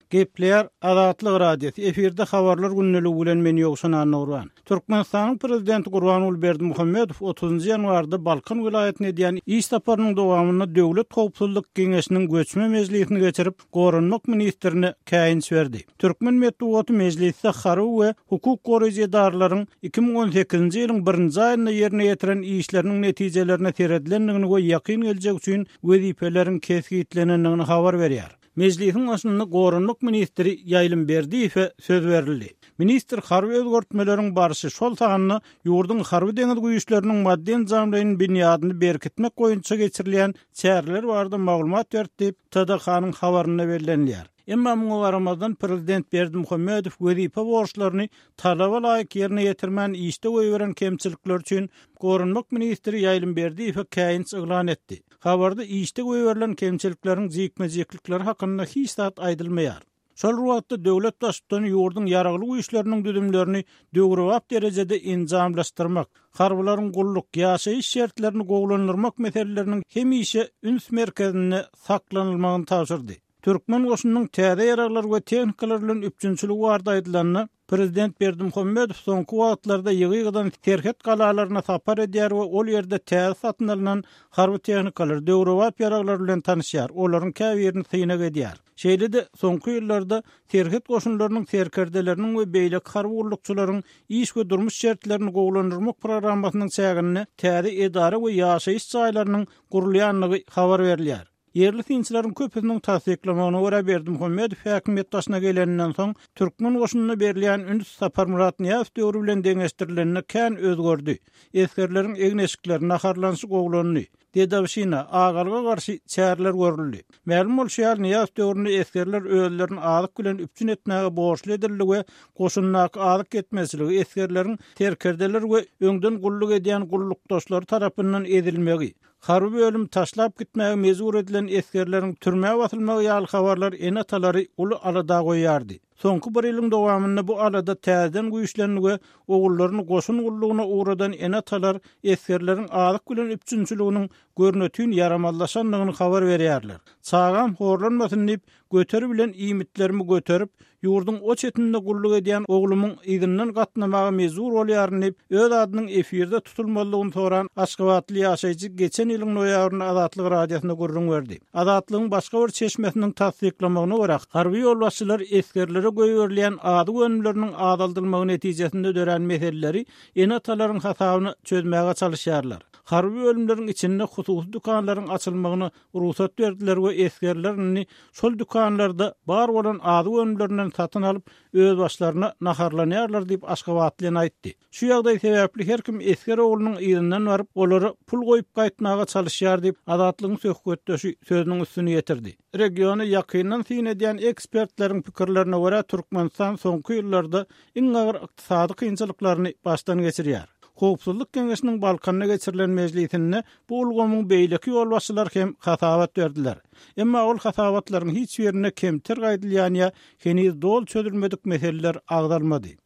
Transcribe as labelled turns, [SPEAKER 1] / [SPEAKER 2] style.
[SPEAKER 1] Gepleýär Azatlyk Radiosy, efirde Habarlar gündeligi bilen men Ýowşan Annagurban. Türkmenistanyň Prezidenti Gurbanguly Berdimuhamedow otuzynjy ýanwarda Balkan welaýatyna edýän iş saparynyň dowamynda Döwlet howpsuzlyk geňeşiniň göçme mejlisini geçirip, goranmak ministrine käýinç berdi. Türkmen metbugaty mejlisde harby we hukuk goraýjy edaralaryň 2018-nji ýylyň birinji aýynda ýerine ýetiren işleriniň netijelerine seredilendigini we ýakyn geljek üçin wezipeleriň kesgitlenendigini habar berýär. Mejlisiň başynda goranmak ministri Ýaýlym Berdiýewe söz berildi. Ministr harby özgertmeleriň barşy, şol sanda ýurduň harby-deňiz güýçleriniň maddy-enjamlaýyn binýadyny berkitmek boýunça geçirilýän çäreler barada maglumat berdi diýip, TDH-nyň habarynda bellenilýär. Emma muňa garamazdan, prezident Berdimuhamedow wezipe borçlaryny talaba laýyk ýerine ýetirmän işde goýberen kemçilikleri üçin goranmak ministri Ýaýlym Berdiýewe käýinç yglan etdi. Habarda işde goýberilen kemçilikleriň jikme-jiklikleri hakynda hiç zat aýdylmaýar. Şol bir wagtda, döwlet Baştutany ýurduň Ýaragly Güýçleriniň düzümlerini döwrebap derejede enjamlaşdyrmak, harbylaryň gulluk, ýaşaýyş şertlerini gowulandyrmak meseleleriniň hemişe üns merkezinde saklanylmagyny tabşyrdy. Türkmen goşunynyň täze ýaraglar we tehnikalar bilen üpjünçiligi barada aýdylanda, prezident Berdimuhamedow soňky wagtlarda ýygy-ýygydan serhet galalaryna sapar edýär we ol ýerde täze satyn alnan harby tehnikalar, döwrebap ýaraglar bilen tanyşýar, olaryň käbirini synag edýär. Şeýle-de, soňky ýyllarda serhet goşunlarynyň serkerdeleriniň we beýleki harby gullukçylaryň iş we durmuş şertlerini gowulandyrmak programmasynyň çäginde täze edara we ýaşaýyş jaýlarynyň gurulýandygy habar berilýär. Ýerli synçylaryň köpüsiniň tassyklamagyna görä, Berdimuhamedow häkimiýet başyna geleninden soň, türkmen goşunyna berilýän üns Saparmyrat Nyýazow döwri bilen deňeşdirilende kän özgerdi. Esgerleriň egin-eşikleri, naharlanyşy gowulandy. Dedowşina, agalyga garşy çäreler görüldi. Mälim bolşy ýaly, Nyýazow döwründe esgerler özlerini azyk bilen üpjün etmäge borçly edildi we goşundaky azyk ýetmezçiligi, esgerleriň serkerdeler we öňden gulluk edýän gullukdaşlary tarapyndan ezilmegi, Harby bölümi taşlap gitmäge mejbur edilen esgerleriň türmä basylmagy ýaly habarlar ene-atalary uly alada goýýardy. Soňky bir ýylyň dowamynda bu alada täzeden güýçlendi we ogullaryny goşun gullugyna ugradan ene-atalar esgerleriň azyk bilen üpjünçiliginiň görnetin ýaramazlaşandygyny habar berýärler. Çagam horlanmasyn diýip, Göteri bilen iýmitlerimi göterip, ýurduň o çetinde gulluk edýän oglumyň yzyndan gatnamaga mejbur bolýaryn diýip, öz adynyň efirde tutulmazlygyny soran aşgabatly ýaşaýjy geçen ýylyň noýabrynda Azatlyk Radiosyna gürrüň berdi. Azatlygyň başga bir çeşmesiniň tassyklamagyna görä, harby ýolbaşçylar esgerlere goýberilýän azyk önümleriniň azaldylmagy netijesinde dörän meseleleri ene-atalaryň hasabyna çözmäge çalyşýarlar. Harby bölümleriň içinde hususy dükanlaryň açylmagyna rugsat berdiler we esgerler indi şol dükanlarda bar bolan azyk önümlerinden satyn alyp, özbaşlaryna naharlanýarlar diýip, aşgabatly ene aýtdy. Şu ýagdaý sebäpli her kim esger oglunyň yzyndan baryp, olara pul goýup gaýtmaga çalyşýar diýip, Azatlygyň söhbetdeşi sözüniň üstüni ýetirdi. Regiona ýakyndan syn edýän ekspertleriň pikirlerine görä, Türkmenistan soňky ýyllarda iň agyr ykdysady kynçylyklaryny başdan geçirýär. Howpsuzlyk geňeşiniň Balkanda geçirilen mejlisinde bu ulgamyň beýleki ýolbaşçylary hem hasabat berdiler. Emma ol hasabatlaryň hiç birinde kemter gaýdylýan ýa heniz doly çözülmedik meseleler agzalmady.